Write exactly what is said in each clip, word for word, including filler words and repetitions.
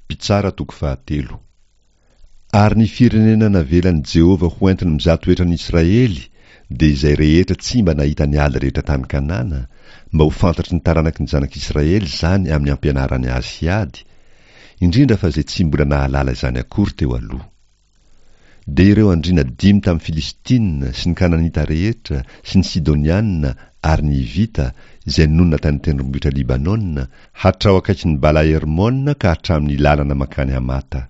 Mpitsara toko fahatelo. Ary ny firenena navelan'i Jehovah ho entiny mizaha toetra ny Israely dia izay rehetra tsy mba nahita ny ady rehetra tany Kanana, mba ho fantatry ny taranaky ny zanak'Israely izany amin'ny ampianarany azy hiady, indrindra fa izay tsy mbola nahalala izany akory teo aloha. Dia ireo andriana dimy tamin'ny Filistina sy ny Kananita rehetra sy ny Sidoniana ary ny Hivita izay nonina tany tendrombohitra Libanona, hatrao akaikin'ny Bala-Hermona ka hatramin'ny lalana mankany Hamata.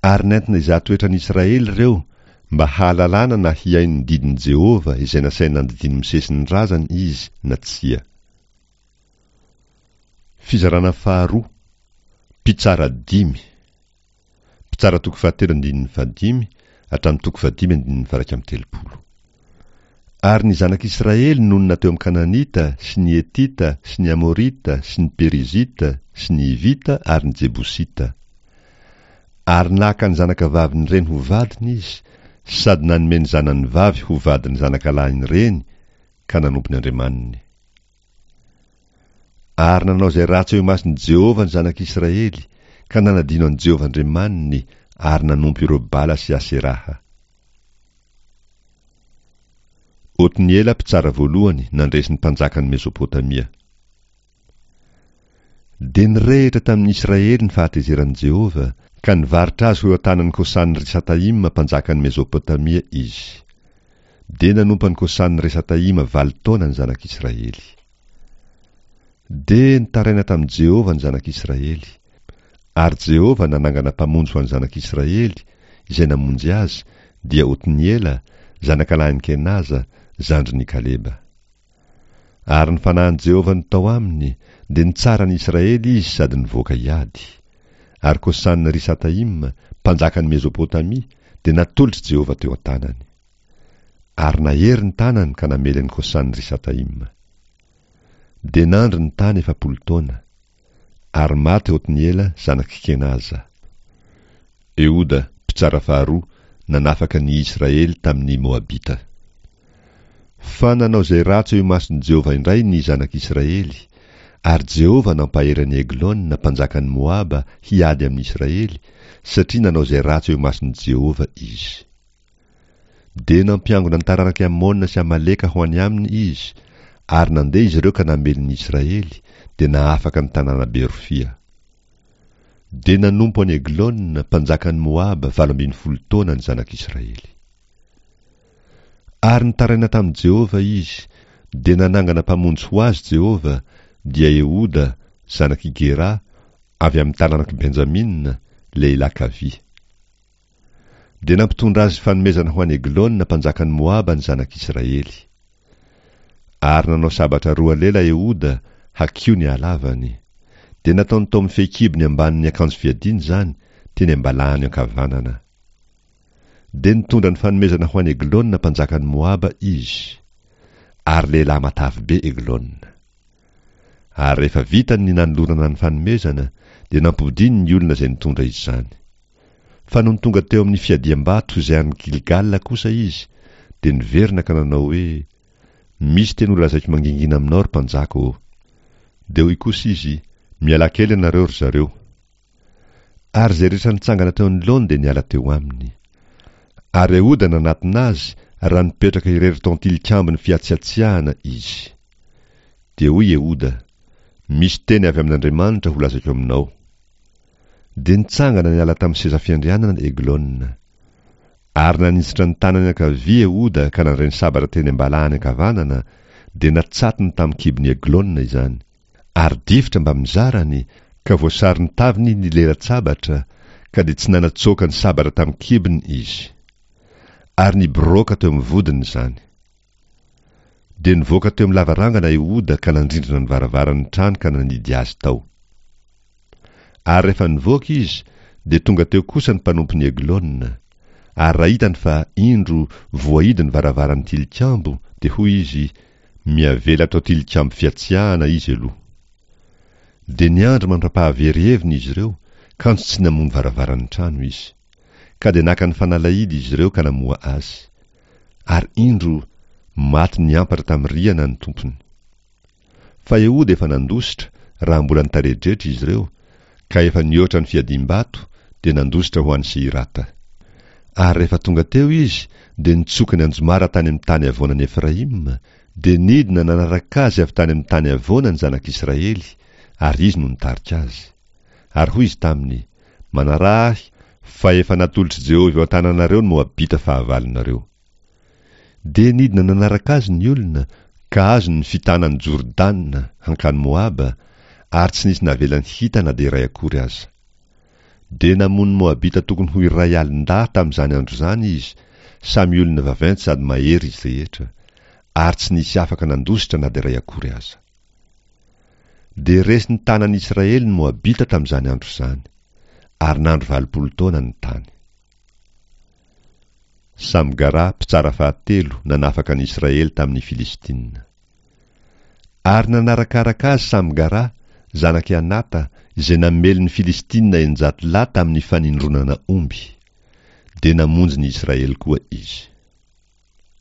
Ary nentina hizaha toetra ny Israely ireo mba hahalalana na hihaino ny didin'i Jehovah izay nasainy nandidian'i Mosesy ny razany izy na tsia. Fizarana faharoa, Mpitsara dimy. Mpitsara toko fahatelo andininy fahadimy hatramin'ny toko fahadimy andininy faha-iraika amby telopolo. Ary ny zanak'Israely nonina teo amin'ny Kananita sy ny Hetita sy ny Amorita sy ny Perizita sy ny Hivita ary ny Jebosita. Ary naka ny zanakavavin'ireny ho vadiny izy, sady nanome ny zanany vavy ho vadin'ny zanakalahin'ireny, ka nanompo ny andriamaniny. Ary nanao izay ratsy eo imason'i Jehovah ny zanak'Israely, ka nanadino an'i Jehovah Andriamaniny ary nanompo ireo Bala sy Aseraha. Otniela mpitsara voalohany nandresy ny mpanjakan'i Mesopotamia. Dia nirehitra tamin'ny Israely ny fahatezeran'i Jehovah, ka nivarotra azy ho eo an-tanan'i Kosan-Risataima mpanjakan'i Mesopotamia izy. Dia nanompo an'i Kosan-Risataima valo taona ny zanak'Israely. Dia nitaraina tamin'i Jehovah ny zanak'Israely. Ary Jehovah nanangana mpamonjy ho an'ny zanak'Israely, izay namonjy azy, dia Otniela, zanakalahin'i Kenaza, zandrin'i Kaleba. Ary ny fanahin'i Jehovah no tao aminy, dia nitsara ny Israely izy sady nivoaka hiady. Ary Kosan-Risataima, mpanjakan'i Mesopotamia, dia natolotr'i Jehovah teo an-tanany. Ary nahery ny tanany ka namely an'i Kosan-Risataima. Dia nandry ny tany efapolo taona. Ary maty Otniela zanak'i Kenaza. Ehoda, mpitsara faharoa, nanafaka ny Israely tamin'ny Moabita. Fa nanao izay ratsy eo imason'i Jehovah indray ny zanak'Israely, ary Jehovah nampahery an'i Eglona mpanjakan'i Moaba hiady amin'ny Israely, satria nanao izay ratsy eo imason'i Jehovah izy. Dia nampiangona ny taranak'i Amona sy Amaleka ho any aminy izy, ary nandeha izy ireo ka namely ny Israely, dia nahafaka ny tanàna Berofia. Dia nanompo an'i Eglona, mpanjakan'i Moaba, valo ambin'ny folo taona ny zanak'Israely. Ary nitaraina tamin'i Jehovah izy, dia nanangana mpamonjy ho azy Jehovah, dia Ehoda, zanak'i Gera, avy amin'ny taranak'i Benjamina, lehilahy kavia. Dia nampitondra azy fanomezana ho an'i Eglona mpanjakan'i Moaba ny zanak'Israely. Ary nanao sabatra roa lela Ehoda, hakio ny halavany. Dia nataony tao amin'ny fehikibony ambanin'ny akanjo fiadiany izany, teny am-balahany ankavanana. Dia nitondra ny fanomezana ho an'i Eglona mpanjakan'i Moaba izy. Ary lehilahy matavy be Eglona. Ary rehefa vitany ny nanolorana ny fanomezana, dia nampodiany ny olona izay nitondra izany. Fa nony tonga teo amin'ny fiadiam-bato izay any Gilgala kosa izy, dia niverina ka nanao hoe, Misy teny holazaiko mangingina aminao, ry mpanjaka ô. Dia hoy kosa izy, Mialà kely ianareo, ry zareo. Ary izay rehetra nitsangana teo anoloany dia niala teo aminy. Ary Ehoda nanatona azy raha nipetraka irery tao an-tilikambon'ny fihatsiatsiahana izy. Dia hoy Ehoda, Misy teny avy amin'Andriamanitra holazaiko aminao. Dia nitsangana niala tamin'ny seza fiandrianana Eglona. Ary naninjitra ny tanany ankavia Ehoda ka nandray ny sabatra teny am-balahany ankavanana, dia natsatony tamin'ny kibon'i Eglona izany. Ary difotra mbamin'ny zarany, ka voasaron-taviny ny lela-tsabatra, ka dia tsy nanatsoaka ny sabatra tamin'ny kibony izy. Ary niboroaka teo amin'ny vodiny izany. Dia nivoaka teo amin'ny lavarangana Ehoda ka nandrindrina ny varavaran'ny trano ka nanidy azy tao. Ary rehefa nivoaka izy, dia tonga teo kosa ny mpanompon'i Eglona. Ary raha hitany fa, indro, voahidy ny varavaran'ny tilikambo, dia hoy izy, Miavela ato an-tilikambo fihatsiahana izy aloha. Dia niandry mandra-pahavery heviny izy ireo, kanjo tsy namoha ny varavaran'ny trano izy. Ka dia naka ny fanalahidy izy ireo ka namoha azy. Ary indro, maty niampatra tamin'ny rihana ny tompony. Fa Ehoda efa nandositra raha mbola nitaredretra izy ireo, Ka efa nihoatra ny fiadiam-bato, dia nandositra ho any Seirata. Ary rehefa tonga teo izy, dia nitsoka ny anjomara tany amin'ny tany havoanan'i Efraima, dia nidina nanaraka azy avy tany amin'ny tany havoana ny zanak'Israely, ary izy no nitarika azy. Ary hoy izy taminy, Manaraha ahy, fa efa natolotr'i Jehovah eo an-tananareo ny Moabita fahavalonareo. Dia nidina nanaraka azy ny olona, ka azony ny fitana an'i Jordana hankany Moaba, ary tsy nisy navelany hita na dia iray akory aza. Dia namono Moabita tokony ho iray alin-dahy tamin'izany andro izany izy, samy olona vaventy sady mahery izy rehetra, ary tsy nisy afaka nandositra na dia iray akory aza. Dia resin'ny tanan'Israely ny Moabita tamin'izany andro izany, ary nandro valopolo taona ny tany. Samgara, mpitsara fahatelo, nanafaka ny Israely tamin'ny Filistina. Ary nanarakaraka azy Samgara, zanak'i Anata, izay namely ny Filistina eninjato lahy tamin'ny fanindronana omby. Dia namonjy ny Israely koa izy.